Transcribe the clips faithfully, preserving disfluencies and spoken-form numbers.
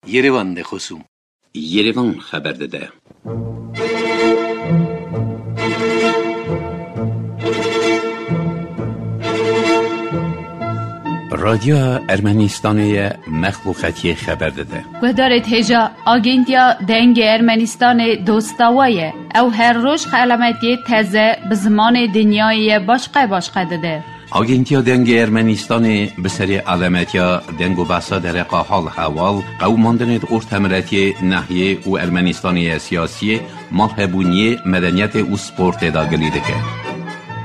Yerevan de xosûm. Yerevan xeber dide. Radyoya Ermenistanê ye, mexluqetiyê xeber dide. Guhdarê hêja, Agentiya Dengê Ermenistanê dosta we ye. Ew her roj xelametiyê teze bi zimanê dinyayê ye başqe başqe dide. Agentiya Dengê Ermenistanê bi serê alemetiya deng û behsa dereqa hal hewal, qewimandinê di ortemiletiyê, nehiyê û Ermenistanê ye siyasiyê, malhebûniyê, medeniyetê û sportê de gilî dike.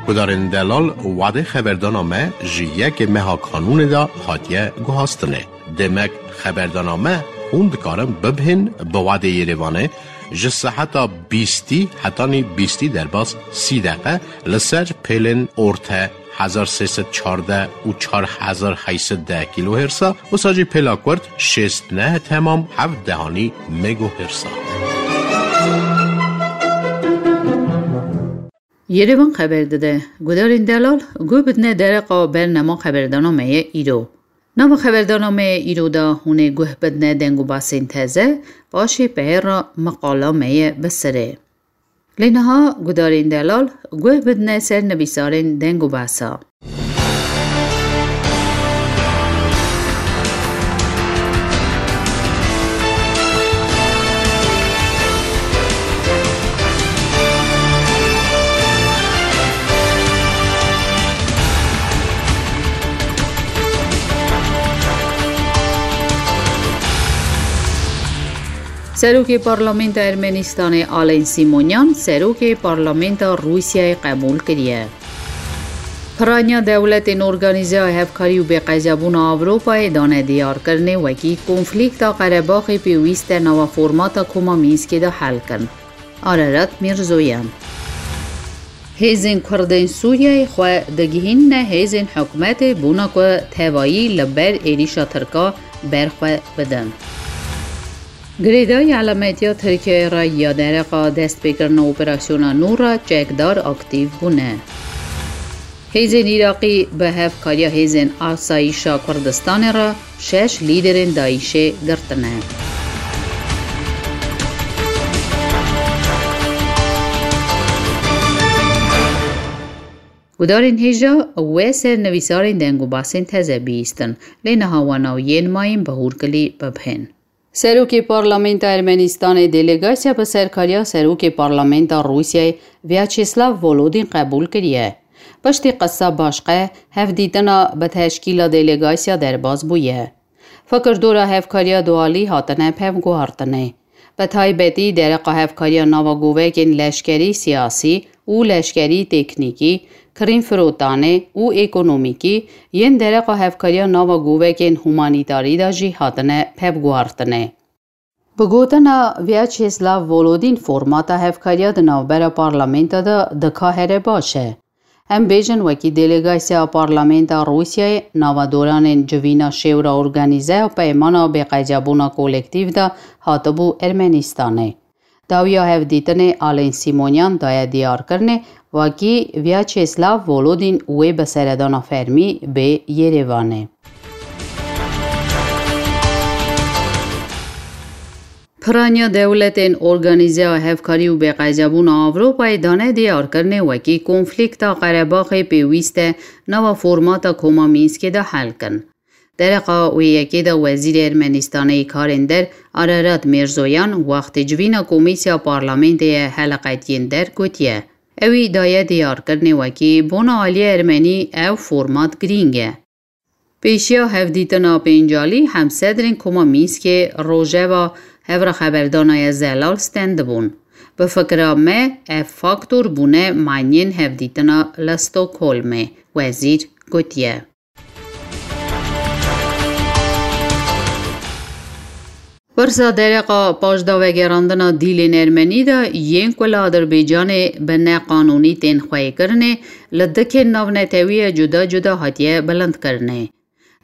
Gudarên delal, wadê xeberdana me ji yekê meha kanûnê de hatiye guhastinê. Demek xeberdana me hûn dikarin bibihên bi wadê Yerevanê ji seheta bîstî hetanî bîstî derbas sî deqe li ser pêlên orte hezar sê sed çardeh û çar hezar heyt sed deh kîlohêrsa, wisa jî pêla kurt şêst neh temam heft dehanî megohêrsa. Yerevan xeber dide, gudarên delal guh bidine dereqa bernama xeberdana me ye îro. Nava xeberdana me ye îro de hûn ê guh bidine deng û basên teze, paşê peyê re meqala me ye bi sirê. Lê niha gudarên delal guh bidine ser nivîsarên deng û basa. Serokê Parlamenta Ermenistanê Alen Sîmonyan serokê Parlamenta Rûsyayê qebûl kiriye. Piraniya Dewletên Organîzeya Hevkarî û Bêqeybûna Ewropayê dane diyarkirinê wekî konflîkta Qerebaxê pêwîst e nava formata Koma Mînskê de hel kin. Ararat Mîrzoyan. Hêzên Kurdên Sûriyeyê xwe digihînine hêzên hikûmetê bona ku tevayî li ber êrîşa Tirka berxwe bidin. Girêdayî elametiya Tirkiyeyê re ya dereqa destpêkirina operasyona nû re çekdar aktîf bûne. Hêzên Iraqî bi hevkariya hêzên asayîşa Kurdistanê re şeş lîderên DAIŞê girtine. Gudarên hêja we ser nivîsarên deng û basên teze bihîstin, lê niha wana û yên mayîn bi hûrkilî bibihên. Serokê Parlamenta Ermenistanê delegasya bi serkariya Serokê Parlamenta Rûsyayê Vyacheslav Volodin qebûl kiriye. Piştî qisa başqe, hevdîtina bi teşkîla delegasya derbas bûye. Fikirdora hevkariya dualî hatine pevguhartinê. Bi taybetî dereqa hevkariya nava govekên leşkerî siyasî û leşkerî teknîkî, kirîn firotanê û ekonomîkî yên dereqa hevkariya nava govekên humanîtarî de jî hatine pevguhartinê. Bi gotina Vyacheslav Volodin formata hevkariya di navbera parlamenta de dika here baş e. Em bêjin wekî delegasya parlamenta Rûsyayê nava doranên civîna şêwra organîze ya peymana bêqeybûna kolektîf de hatibû Ermenistanê. Dawiya hevdîtinê Alen Sîmonyan daye diyarkirinê wekî Vyacheslav Volodin wê bi seredana fermî bê Yerevanê. Piraniya Dewletên Organîzeya Hevkarî û Bêqeybûna Ewropayê dane diyarkirinê wekî konflîkta Qerebaxê pêwîst e nava formata Koma Mînskê de hel kin. Dereqa wê yekê de Wezîrê Ermenistanê yê Karên Der Ararat Mîrzoyan wextê civîna Komîsya Parlamentê ye heleqetiyên der gotiye, ewî daye diyarkirinê wekî bona aliyê ermenî ew format girîng e. Pêşiya hevdîtina pêncalî hemsedrên Koma Mînskê rojeva hevra xeberdana ye zelal stendibûn. Bi fikira me ev faktor bûne manyên hevdîtina li Stockholmê, wezîr gotiye. Pirsa dereqa paşdavegerandina dîlên ermenî de yên ku li Adirbaycanê bi neqanûnî tên xweykirinê li dikên navnetewî ye cuda cuda hatiye bilindkirinê.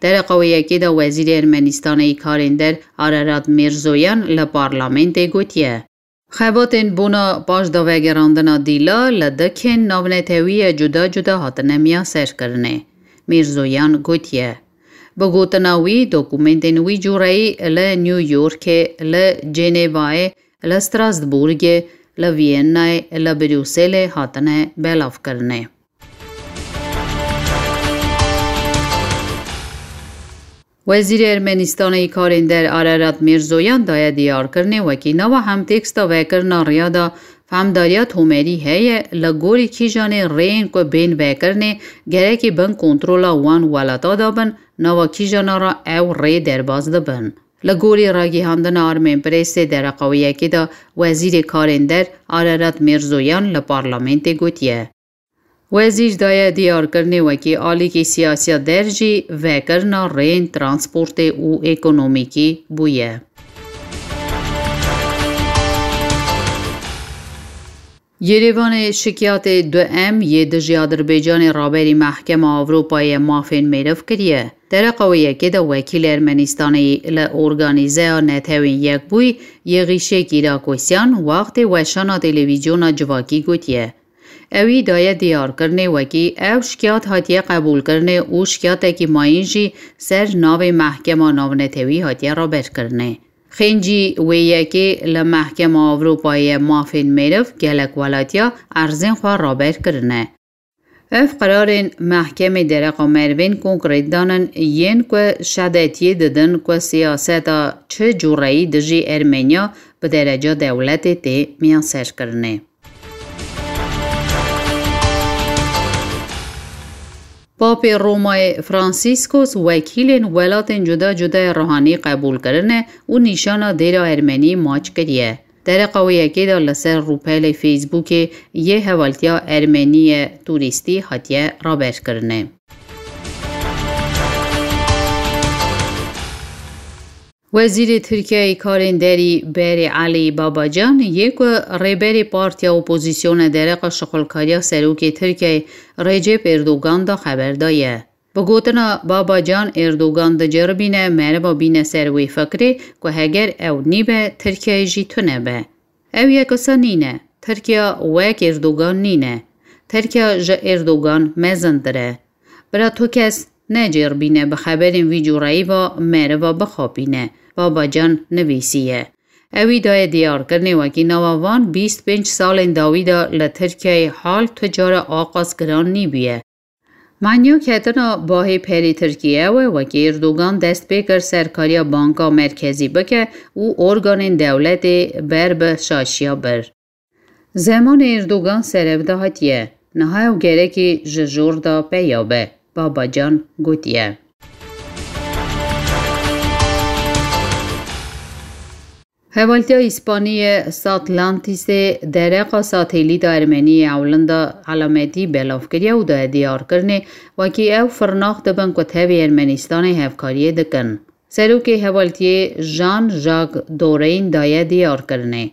Dereqa wê yekê de Wezîrê Ermenistanê yê Karên Der Ararat Mîrzoyan li parlamentê gotiye, xebatên bona paşdavegerandina dîla li dikên navnetewî ye cuda cuda hatine miyaserkirinê. Mîrzoyan gotiye, Bi gotina wî, dokumentên wî cûreyî li New Yorkê, li Cenevayê, li Strasbourgê, li Viennayê, li Brukselê hatine belavkirinê. Wezîrê Ermenistanê yî karên der Ararat Mirzoyan daye diyarkirinê wekî nava hemtêksta vekirina riya de fehmdariya tomerî heye, li gorî kîjanê rêyên ku bên vekirinê gerekî bin kontrola wan welata de bin, nava kîjana re ew rê derbas dibin. Li gorî ragihandina Armên Presê dereqa wê yekê de Wezîrê Karên Der Ararat Mirzoyan li parlamentê gotiye. Wezîr daye diyarkirinê wekî alîkî siyasiya der jî vekirina rêyên transportê û ekonomîkî bûye. Yerevanê şikiyatê du M yê dijî Adirbaycanê raberî Mehkema Ewropayê ya Mafên Meriv kiriye. Dereqa wê yekê de wekîlê Ermenistanê li Organîzeya Netewên Yekbûyî yê Xîşê Kîrakosyan wextê weşana televîzyona civakî gotiye. Ewî daye diyarkirinê wekî ew şikiyat hatiye qebûlkirinê û şikiyatekî mayîn jî ser navê Mehkema Navnetewî hatiye raberkirinê. Xêncî wê yekê li Mehkema Ewropayê ya Mafên Meriv gelek welatiya erzên xwe raber kirine. Ev qerarên mehkemê dereqa merivên konkret danin yên ku şedetiyê didin ku siyaseta çi cûreyî dijî Ermeniya bi dereca dewletê tê miyaserkirinê. Papê Romayê Franciscos wekîlên welatên cuda cuda yê ruhanî qebûl kirine û nîşana dêra Ermenî maç kiriye. Dereqa wê yekê de li ser rûpelê Facebookê yê hevaltiya Ermenî yê turîstî hatiye raberkirinê. Wezîrê Tirkiyeyê karên derî berê Elî Babacan yê ku rêberê partiya opozîsyonê dereqa şixulkariya serokê Tirkiyeyê Recep Erdogan de xeber daye. Bi gotina Babacan, Erdogan diceribîne meriva bîne ser wê fikrê ku heger ew nîbe, Tirkiyeyê jî tune be. Ew yek wisa nîne. Tirkiya wek Erdogan nîne. Tirkiya ji Erdogan mezintir e. Bira tu kes neceribîne bi xeberên vî cûreyî ve meriva bixapîne, Babacan nivîsiye. Ewî daye diyarkirinê wekî nava van bîst pênc salên dawî de li Tirkiyeyê hal tu cara aqas giran nîbûye. Manya ketina bahê perê Tirkiyê ew e, wekî Erdogan dest pê kir serkariya Banka Merkezî bike û organên dewletê ber bi şaşiya bir. Zemanê Erdogan serev de hatiye, niha ew gerekî ji jor de peya be, Babacan gotiye. Hevaltiya Îspanî yê Satlantisê dereqa satelîta Ermenî yê ewlin de elametî belav kiriye û daye diyarkirinê wekî ew firnax dibin ku tevî Ermenîstanê hevkariyê dikin. Serokê hevaltiyê Jean-Jacques Doreyn daye diyarkirinê.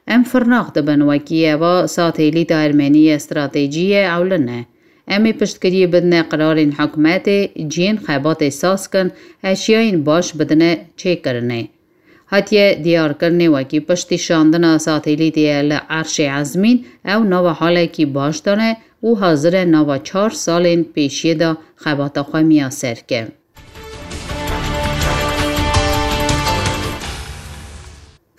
Em firnax dibin wekî eva satelîta Ermenî yê stratejî yê ewlin e. Em ê piştgiriyê bidine qirarên hikûmetê, cihên xebatê saz kin, eşyayên baş bidine çêkirinê. Hatiye diyarkirinê wekî piştî şandina satelîtê ye li Erşê Ezmîn, ew nava halekî baş de ne û hazir e nava çar salên pêşiyê de xebata xwe miyaser ke.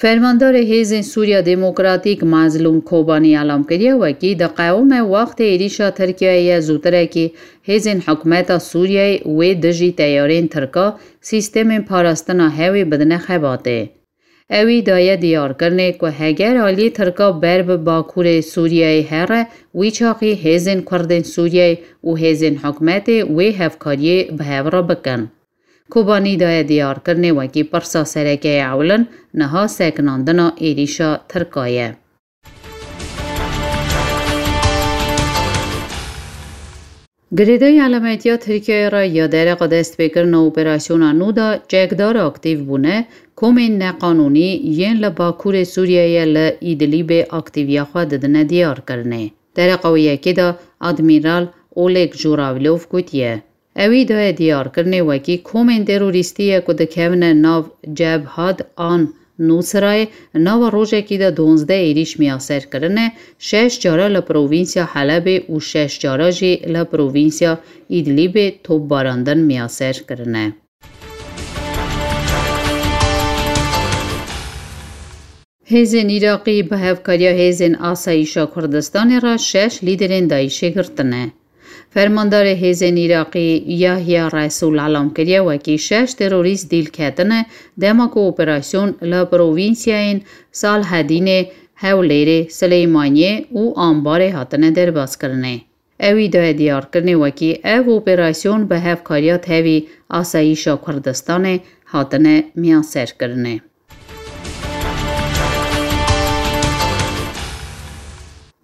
Fermandarê Hêzên Sûriya Demokratîk Mazlûm Kobanî elam kiriye wekî diqewime wextê êrîşa Tirkiyeyê ye zûtirekî hêzên hikûmeta Sûriyeyê wê dijî teyarên Tirka sîstemên parastina hewê bidine xebatê. Ewî daye diyarkirinê ku heger aliyê Tirka ber bi Bakurê Sûriyeyê here, wî çaxî hêzên Kurdên Sûriyeyê û hêzên hikûmetê wê hevkariyê bi hev re bikin. Kobanî daye diyarkirinê wekî pirsa sereke yê ewlin niha sekinandina êrîşa Tirka ye. Girêdayî elametiya Tirkiyeyê re ya dereqa destpêkirina operasyona nû de çekdar aktîf bûne, komên neqanûnî yên li Bakurê Sûriyeyê li Îdlîbê aktîviya xwe didine diyarkirinê. Dereqa wê yekê de Admîral Oleg Juravilov gotiye, Ewî daye diyarkirinê wekî komên terorîstî ye ku dikevine nav Cebhat an Nusrayê, nava rojekî de duwazdeh êrîş miyaser kirine, şeş cara li provînsya Helebê û şeş cara jî li provînsya Îdlîbê topbarandin miyaser kirine. Hêzên Iraqî bi hevkariya Hêzên Asayîşa Kurdistanê re şeş lîderên DAIŞê girtine. Fermandarê Hêzên Iraqî Yahya Resûl elam kiriye wekî şeş terorîst dîl ketine dema ku operasyon li provînsiyayên Salhedînê, Hewlêrê, Silêmaniyê û Ambarê hatine derbazkirinê. Ewî daye diyarkirinê wekî ev operasyon bi hevkariya tevî Asayîşa Kurdistanê hatine miyanserkirinê.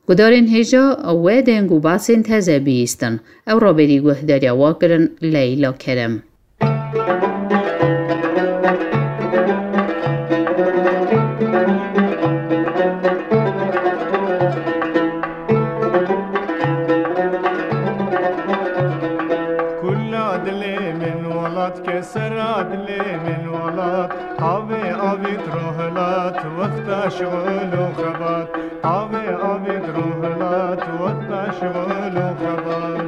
Gudarên hêja we deng û basên teze bihîstin. Ew raberî guhdariya wa kirin Leyla Kerem. Kula dilê min welat, kesera dilê min welat, avê avît rohilat, wexta şixul û xebat. Avê avît rohilat, wexta şixul û xebat.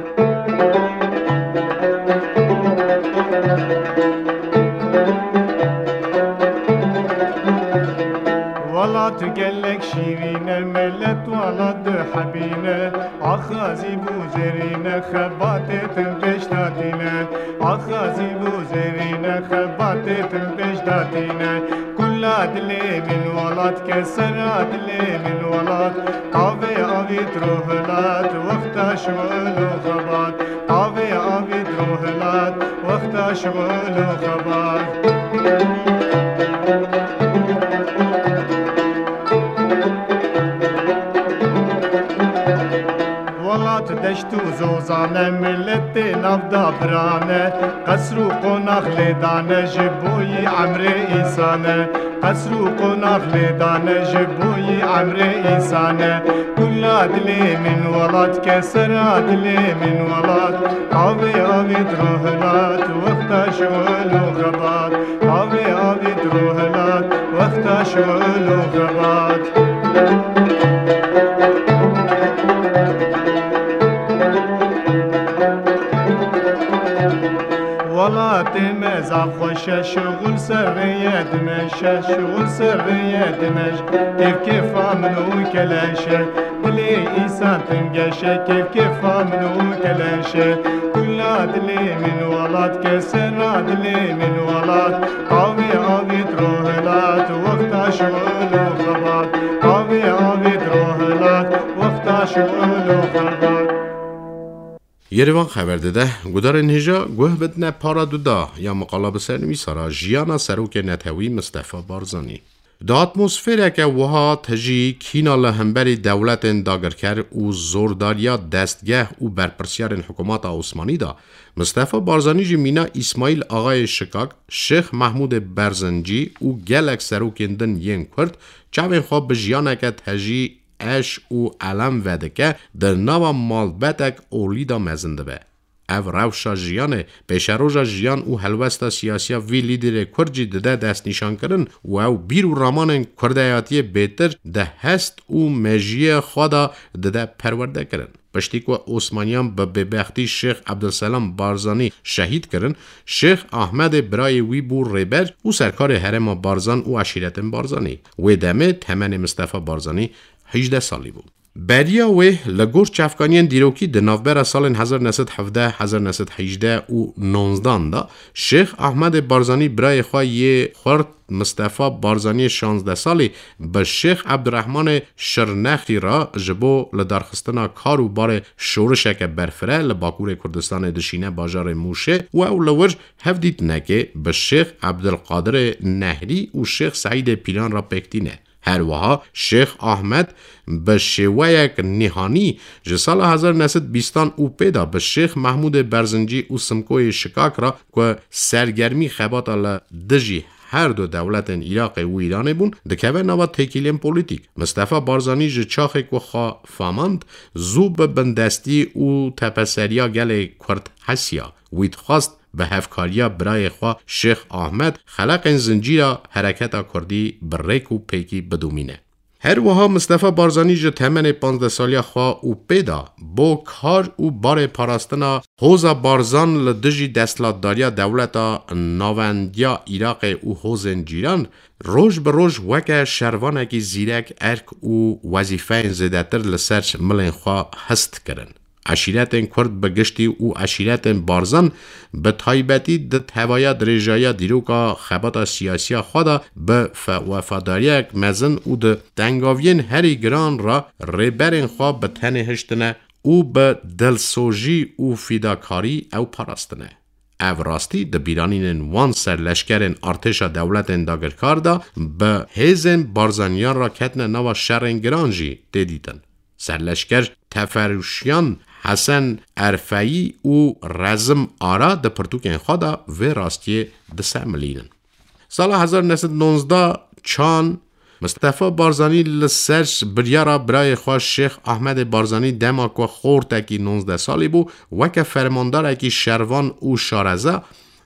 Welat gelek şîrîn e, millet welat du hebîn e. Axazî bû zerîne, xebatê tim pêş datîne. Axazî bû zerîne, xebatê tim pêş datîne. Kula dilê min welat, kesera dilê min welat. Avê avît rohilat, wexta şixul û xebat. Avê avît rohilat, wexta şixul û xebat. Welat deşt û zozan e, milletê navda biran e, qesr û qonax lê dane, ji bo yî emrê însan e. Qesr û qonax lê dane, ji bo yî emrê însan e. Kula dilê min welat, kesera dilê min welat, avê avît rohilat, wexta şixul û xebat. Avê avît rohilat, wexta şixul û xebat. Welatê me zaf xweş e, şixul ser rê ye dimeşe, şixul ser rê ye dimeş. Kêf kêfa min û keleş e, dilê însan tim geş e, kêf kêfa min û keleş e. Kula dilê min welat, kesera dilê min welat. Avê avît rohilat, wexta şixul û xebat. Avê avît rohilat, wexta şixul û xebat. Yerivan xeber dide, gudarên hêja guh bidine para duda ya miqala bi sernivîsara jiyana serokê netewî Mistefa Barzanî. Di atmosfereke wiha tijî kîna li hemberî dewletên dagirker û zordariya destgeh û berpirsiyarên hikûmeta Osmanî de, Mistefa Barzanî jî mîna Îsmaîl Axayê Şikak, Şêx Mehmûdê Berzincî û gelek serokên din yên Kurd çavên xwe bi jiyaneke tejî eş û elem vedike, di nava malbetek olî de mezin dibe. Ev rewşa jiyanê, pêşeroja jiyan û helwesta siyasiya vî lîderê Kurd jî dide destnîşankirin û ew bîr û ramanên kurdayatiyê bêtir di hest û mejiyê xwe de dide perwerdekirin. Piştî ku Osmaniyan bi bêbextî Şêx Ebdulselam Barzanî şehîd kirin, Şêx Ahmedê birayê wî bû rêber û serkarê herêma Barzan û eşîretên Barzanî. Wê demê temenê Mistefa Barzanî hejdeh salî bû. Beriya wê, li gor çavkaniyên dîrokî, di navbera salên hezar neh sed hevdeh, hezar neh sed hejdeh û nonzdan de Şêx Ahmedê Barzanî birayê xwe yê xurt Mistefa Barzaniyê şazdeh salî bi Şêx Ebdurehmanê Şirnexî re ji bo lidarxistina kar û barê şorişeke berfireh li Bakurê Kurdistanê dişîne bajarê Mûşê û ew li wir hevdîtinekê bi Şêx Ebdulqadirê Nehrî û Şêx Seîdê Pîlan re pêk tîne. Her wiha Şêx Ahmed bi şêweyek nîhanî ji sala hezar neh sed bîstan û pê de bi Şêx Mehmûdê Berzincî û Simkoyê Şikak re ku sergermî xebata li dijî her du dewletên Iraqê û Îranê bûn, dikeve nava têkiliyên polîtîk. Mistefa Barzanî ji çaxê ku xwe famand, zû bi bindestî û tepeseriya gelê Kurd hesiya. Wî dixwest bi hevkariya birayê xwe Şêx Ahmed xeleqên zincîra hereketa kurdî bi rêk û pêkî bidomîne. Her wiha Mistefa Barzanî ji temenê panzdeh saliya xwe û pê de bo kar û barê parastina hoza Barzan li dijî desthilatdariya dewleta navendiya Iraqê û hozên cîran roj bi roj weke şervanekî zîrek erk û wezîfeyên zêdetir li ser milên xwe hist kirin. Eşîretên Kurd bi giştî û eşîretên Barzan bi taybetî di tevaya dirêjaya dîroka xebata siyasiya xwe de bi fe-, wefadariyek mezin û di tengaviyên herî giran re rêberên xwe bi tenê hiştine û bi dilsojî û fîdakarî ew parastine. Ev rastî di bîranînên wan serleşkerên artêşa dewletên dagirkar de bi hêzên Barzaniyan re ketine nava şerên giran jî tê dîtin. Serleşker Teferuşyan Hesen Erfeyî û Rezim Ara di pirtûkên xwe de vê rastiyê disemilînin. Sala hezar neh sed nonzdeh çan Mistefa Barzanî li ser biryara birayê xwe Şêx Ahmedê Barzanî dema ku xortekî nonzdeh salî bû, weke fermandarekî şervan û şareza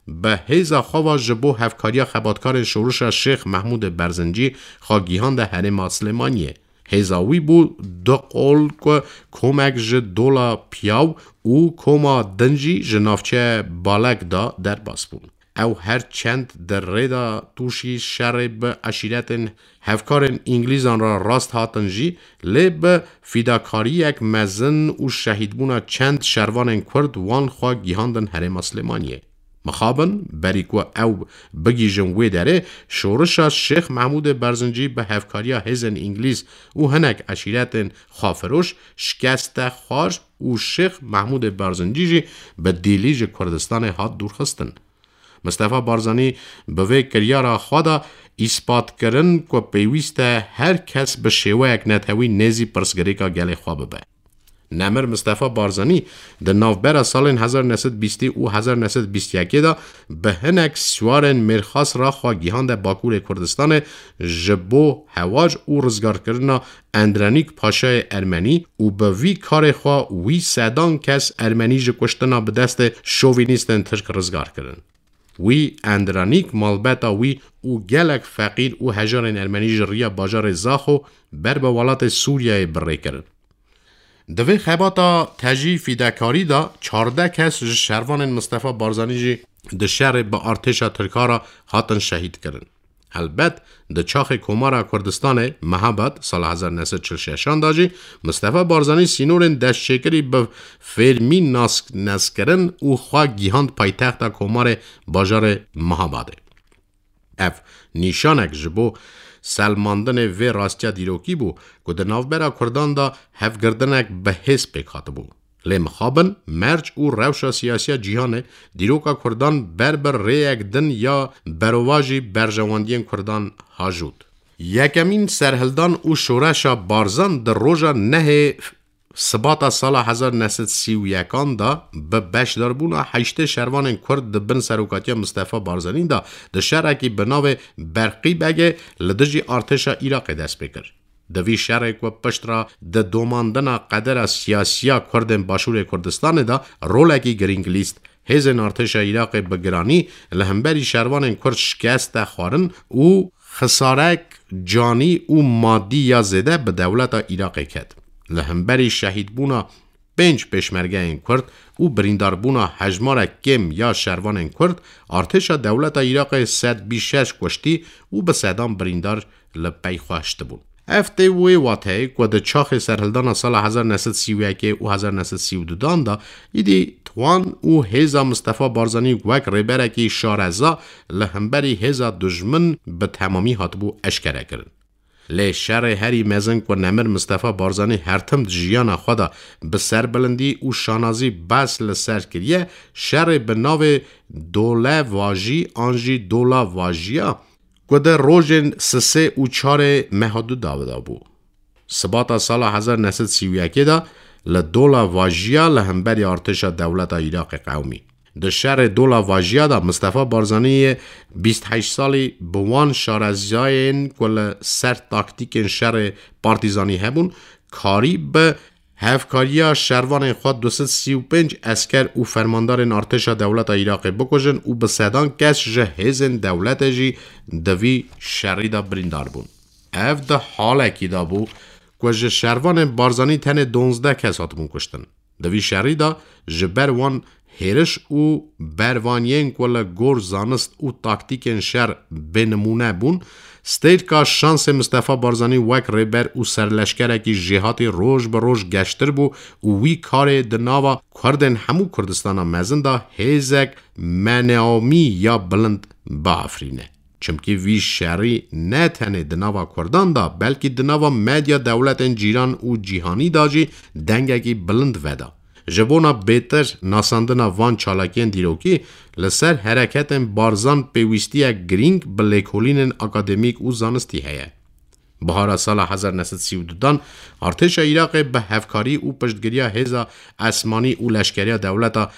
bi hêza xwe ve ji bo hevkariya xebatkarên şorişa Şêx Mehmûdê Berzincî xwe gihande herêma Silêmaniyê. Hêza wî bû du qol ku komek ji dola piyaw û koma din jî ji navçeya Balek de derbas bûn. Ew her çend di rê de tûşî şerê bi eşîretên hevkarên Îngilîzan re rast hatin jî, lê bi fîdakariyek mezin û şehîdbûna çend şervanên Kurd wan xwe gihandin herêma Silêmaniyê. Mixabin, berî ku ew bigihîjin wê derê, şorişa Şêx Mehmûdê Berzincî bi hevkariya hêzên Îngilîz û hinek eşîretên xwefiroş şikeste xwar û Şêx Mehmûdê Berzincî jî bi dîlî ji Kurdistanê hat dûrxistin. Mistefa Barzanî bi vê kiryara xwe de îspat kirin ku pêwîst e her kes bi şêweyek netewî nêzî pirsgirêka gelê xwe bibe. Nemir Mistefa Barzanî di navbera salên hezar neh sed bîstî û hezar neh sed bîst yekê de bi hinek siwarên mêrxas re xwe gihande Bakurê Kurdistanê ji bo hewac û rizgarkirina Endrenîk Paşayê Ermenî û bi vî karê xwe wî sedan kes Ermenî ji kuştina bi destê şovînîstên Tirk rizgar kirin. Wî Endrenîk, malbeta wî û gelek feqîr û hejarên Ermenî ji riya bajarê Zaxo ber bi welatê Sûriyeyê bi rê kirin. Di vê xebata tejî fîdekarî de çardeh kes ji şervanên Mistefa Barzanî jî di şerê bi artêşa Tirka re hatin şehîd kirin. Helbet, di çaxê Komara Kurdistanê, Mehabad, sala hezar neh sed çil şeşan de jî, Mistefa Barzanî sînorên destçêkirî bi fêrmî nas-, neskirin û xwe gihand paytexta Komarê bajarê Mehabadê. Ev nîşanek ji bo selmandinê vê rastiya dîrokî bû ku di navbera Kurdan de hevgirtinek bi hêz pêk hatibû. Lê mixabin, merc û rewşa siyasiya cîhanê dîroka Kurdan ber bi rêyek din ya berovajî berjewendiyên Kurdan hajût. Yekemîn serhildan û şoreşa Barzan di roja nehê Sibata sala hezar neh sed sî û yekan de bi beşdarbûna heştê şervanên Kurd di bin serokatiya Mistefa Barzanî de di şerekî bi navê Berqî Begê li dijî artêşa Iraqê dest pê kir. Di vî şerê ku pişt re di domandina qedera siyasiya Kurdên Başûrê Kurdistanê de rolekî girîng lîst, hêzên artêşa Iraqê bi giranî li hemberî şervanên Kurd şikeste xwarin û xisarek canî û madî ya zêde bi dewleta Iraqê ket. Li hemberî şehîdbûna pênc pêşmergeyên Kurd û birîndarbûna hejmarek kêm ya şervanên Kurd, artêşa dewleta Iraqê sed bîst şeş kuştî û bi sedan birîndar li pey xwe hiştibûn. Ev tê wê wateyê ku di çaxê serhildana sala hezar neh sed sî û yekê û hezar neh sed sî û dudan de îdî Twan û hêza Mistefa Barzanî wek rêberekî şareza li hemberî hêza dujmin bi temamî hatibû eşkerekirin. Lê şerê herî mezin ku Nemir Mistefa Barzanî her tim di jiyana xwe de bi serbilindî û şanazî behs li ser kiriye, şerê bi navê Dole Vajî an jî Dola Vajiya ku di rojên sisê û çarê meha du dawida bû. Sibata sala hezar neh sed sî û yekê de li Dola Vajiya li hemberî artêşa dewleta Iraqê qewimî. Di şerê Dola Vajiya de Mistefa Barzanî yê bîst heşt salî bi wan şarezayên ku li ser taktîkên şerê partîzanî hebûn, karî bi hevkariya şervanên xwe du sed sî û pênc esker û fermandarên artêşa dewleta Iraqê bikujin û bi sedan kes ji hêzên dewletê jî di vî şerî de birîndar bûn. Ev di halekî de bû ku ji şervanên Barzanî tenê donzdeh kes hatibûn kuştin. Di vî şerî de ji ber wan hêriş û bervaniyên ku li gor zanist û taktîkên şer bênimûne bûn, stêrka şansê Mistefa Barzanî wek rêber û serleşkerekî jêhatî roj bi roj geştir bû û wî karê di nava Kurdên hemû Kurdistana Mezin de hêzek meneamî ya bilind biafirîne. Çimkî vî şerî ne tenê di nava Kurdan de, belkî di nava medya dewletên cîran û cîhanî de jî dengekî bilind veda. Ji bona bêtir nasandina van çalakiyên dîrokî, li ser hereketên Barzan pêwîstiyek girîng bi lêkolînên akademîk û zanistî heye. Bihara sala hezar neh sed sî û du dan, artêşa Iraqê bi hevkarî û piştgiriya hêza esmanî û leşkeriya dewleta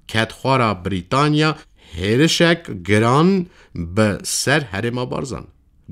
kedxwara Brîtanya hêrişek giran bi ser herêma Barzan.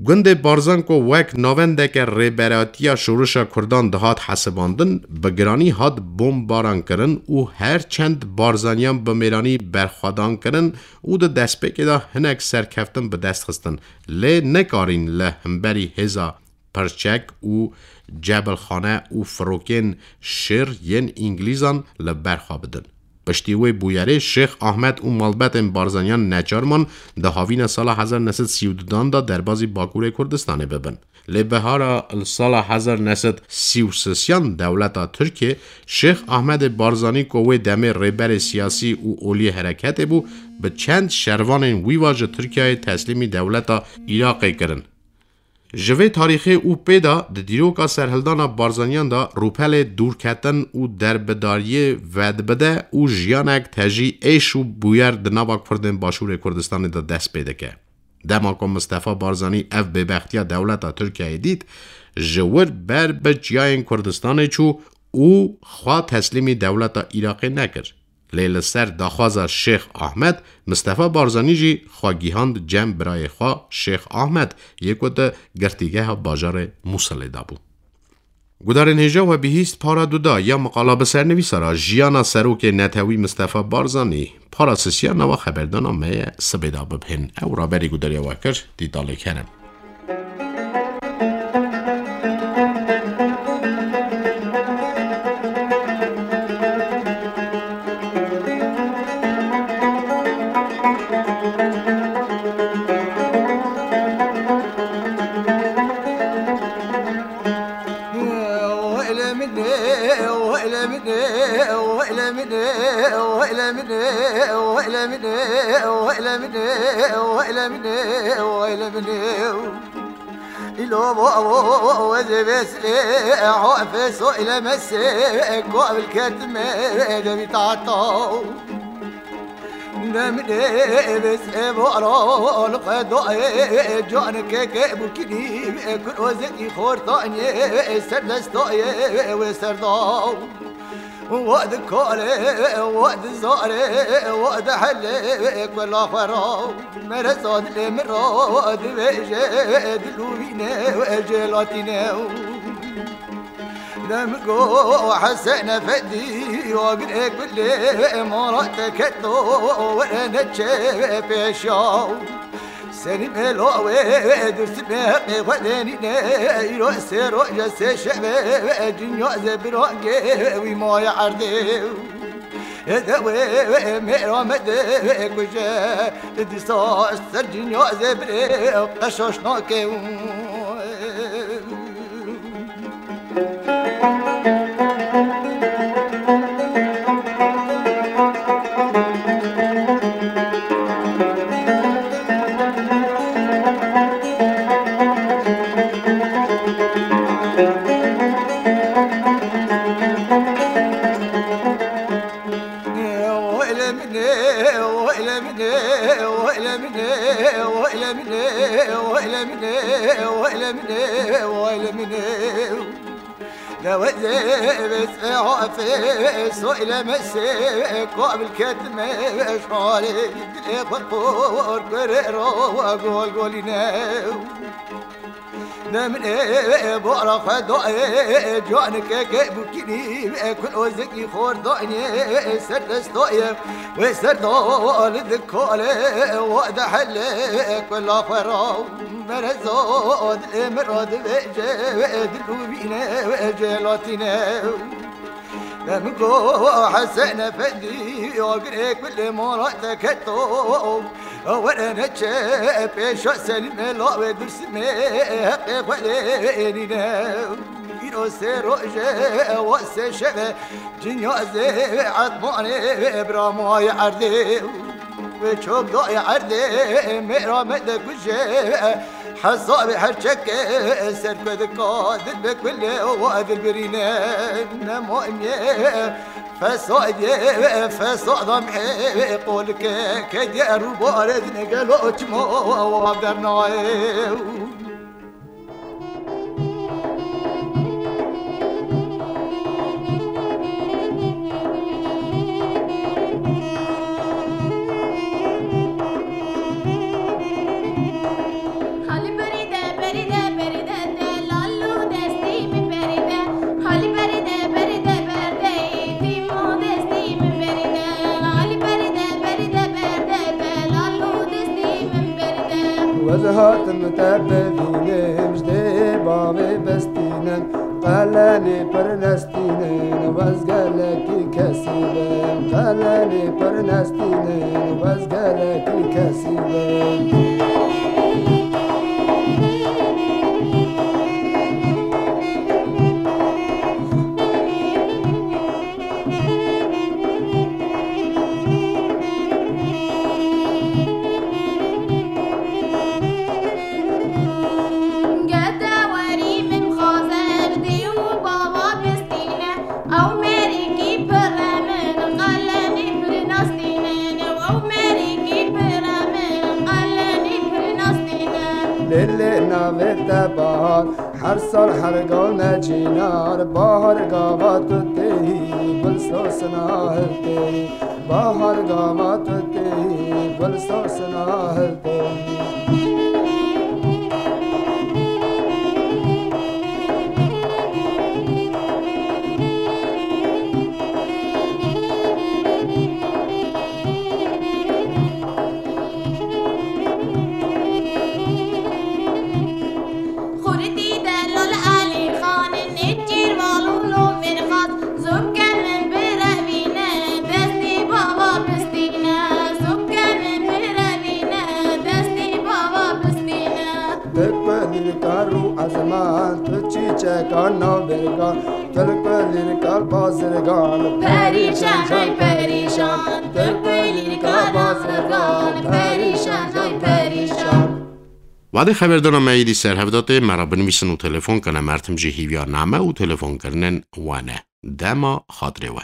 Gundê Barzan ku wek navendeke rêberatiya şorişa Kurdan dihat hesibandin, bi giranî hat bombarankirin û her çend Barzaniyan bi mêranî berxwedankirin û di destpêkê de hinek serkeftin bi dest xistin, lê nekarîn li hemberî hêza Pirçek û Cebilxane û firokên şêr yên Îngilîzan li ber xwe bidin. Piştî wê bûyerê Şêx Ahmed û malbetên Barzaniyan neçar man di havîna sala hezar neh sed sî û du dan de derbazî Bakurê Kurdistanê bibin. Lê bihara li sala hezar neh sed sî û sêyan dewleta Tirkiyê Şêx Ahmedê Barzanî ku wê demê rêberê siyasî û oliyê hereketê bû, bi çend şervanên wî va ji Tirkiyeyê teslîmî dewleta Iraqê kirin. Ji vê tarîxê û pê de di dîroka serhildana Barzaniyan de rûpelê dûrketin û derbedariyê vedibide û jiyanek tejî êş û bûyer di nava Kurdên Başûrê Kurdistanê de dest pê dike. Dema ku Mistefa Barzanî ev bêbextiya dewleta Tirkiyeyê dît, ji wir ber bi çiyayên Kurdistanê çû û xwe teslîmî dewleta Iraqê nekir. Lê li ser daxwaza Şêx Ahmed, Mistefa Barzanî jî xwe gihand cem birayê xwe Şêx Ahmed yê ku di girtîgeha bajarê Mûsilê de bû. Gudarên hêja we bihîst para duda ya miqala bi sernivîsara jiyana serokê netewî Mistefa Barzanî. Para sisiya nava xeberdana me ye sibê de bibihên. Ew raberî gudariya we kir, dîtalê kerem. Îlo bo wezê vêsê, ho feso île mesê, ko vilketime devî tato. Demine vêsê bo ro, li qedoyê, can keke bûkinî, kur ozekî xortanyê, serdestoyê wê serdaw. Wa di kale, wa di zare, wa di hele, kula xwe ra. Mere zadilê min ra, divêje, dilûvîne, jelatîne. Dem go Hesen Efendî, agirê kulê, mala te keto, were neçe pêşa. Senî mela wê, Dûrsîmê heqê xwe denîne, îro sê roje sê şeve, cinya zê birangê wî maye erdê. De wê mêra me de kuje, dîsa ser cinya zê birê qeşaş nake. Lewezê vêsê hafê, soylemesê, kabil ketime şarê, dilê xwe qor kurê ro gol golîne. Ne min ê bara xwe dayê, canike ke bûkînî, e kul ozekî xor dayê, ser destayê, wê ser da li dikalê, wa de hele, kula xwe ra, mereza dilê min ra divêje, dil û vîne, wê celatîne. Min go Hesen Efendî, agirê kulê mala te keto. Were neçe pêşa Selîmê lawê Dursimê, heqê xwe lê nîne. Îro sê roje, wa sê şeve, cinyazê Etmanê, bira mayê erdê. Wê çok dayê erdê, mêra me de kuje, hesabê her çeke ser ku dika, dil bi kulê wa dil birîne. Nema imyê, fesadê, fesadan ê qolike, kediye rûbarê dine gelo çima wa dernayê. Halî berî de, berî de, berî de, delal û destî min berî de. Halî berî de, berî de, berdeyî tîm û destî min berî de. Halî berî de, berî de, berde, delal û destî min berî de. Ez hatim te bivînim, ji dê bavê bestînin, qelenê pir nestînin, ez gelekî kesî bim. Qelenê pir nestînin, ez gelekî kesî bim. Gede werî min xaze ji dê û bava bistîne. Ew merîkî pire min qelenî pir nastînin. Ew merîkî pire min qelenî pir nastînin. Lê lê navê te bahar, her sal her gal ne cînar. Bahar gava tu têyî, gul sosina hiltêyî. Bahar gava tu têyî, gul sosina hiltêyî. Xurtî delal Elî Xan, nêçîr val û lo min xas, zûke min birevîne, destî bava bistîne, zûke min birevîne, destî bava bistîne. Tu ku lîrka rû ezman, tu çîçeka navbêrgan, tu ku lîrka bazirgan, perîşan jay perîşan, tu ku lîrka bazirgan, perîşan jay perîşan. Wadê xeberdana me êdî ser hev de tê, me re binivîsin û telefon kene. Mertim jî hîviyar name û telefonkirinên we ne. Dema xatirê we.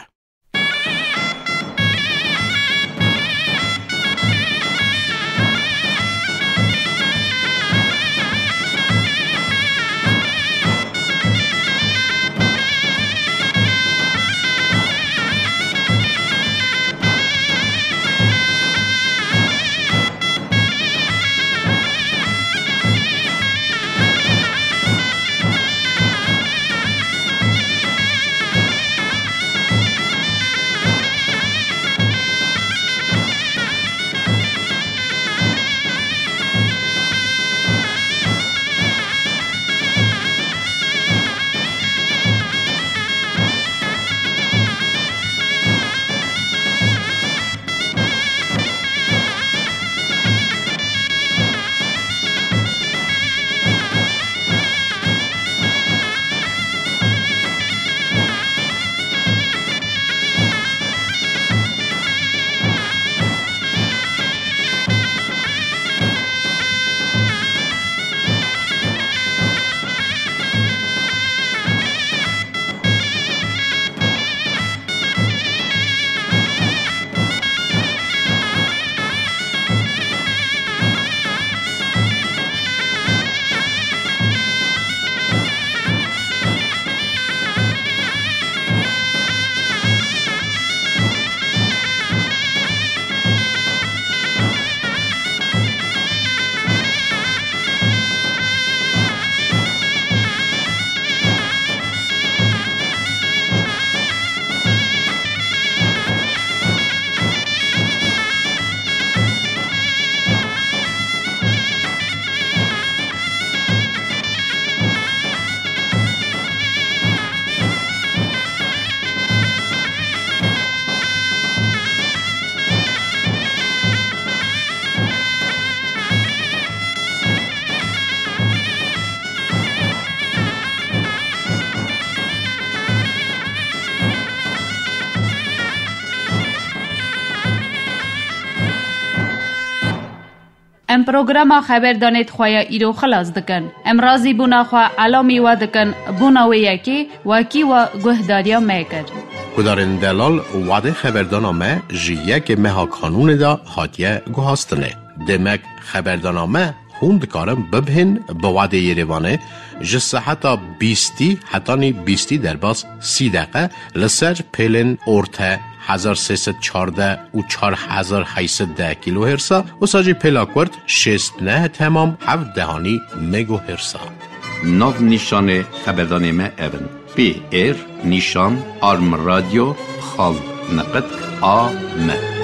Em programa xeberdanê di xwe ya îro xilas dikin. Em razîbûna xwe elamî we dikin bona wê yekê wekî we guhdariya me kir. Guhdarên delal, wadê xeberdana me ji yekê meha Kanûnê de hatiye guhastinê. Demek xeberdana me hûn dikarin bibihên bi wadê Yerêvanê ji seheta bîstî hetanî bîstî derbas sî deqe li ser pêlên orte hezar sê sed çardeh û çar hezar heyt sed deh kîlohêrsa, wisa jî pêla kurt şêst neh temam heft dehanî megohêrsa. Nav nîşanê xeberdanê me ev in: P R nîşan arm radyo xal neqet A M.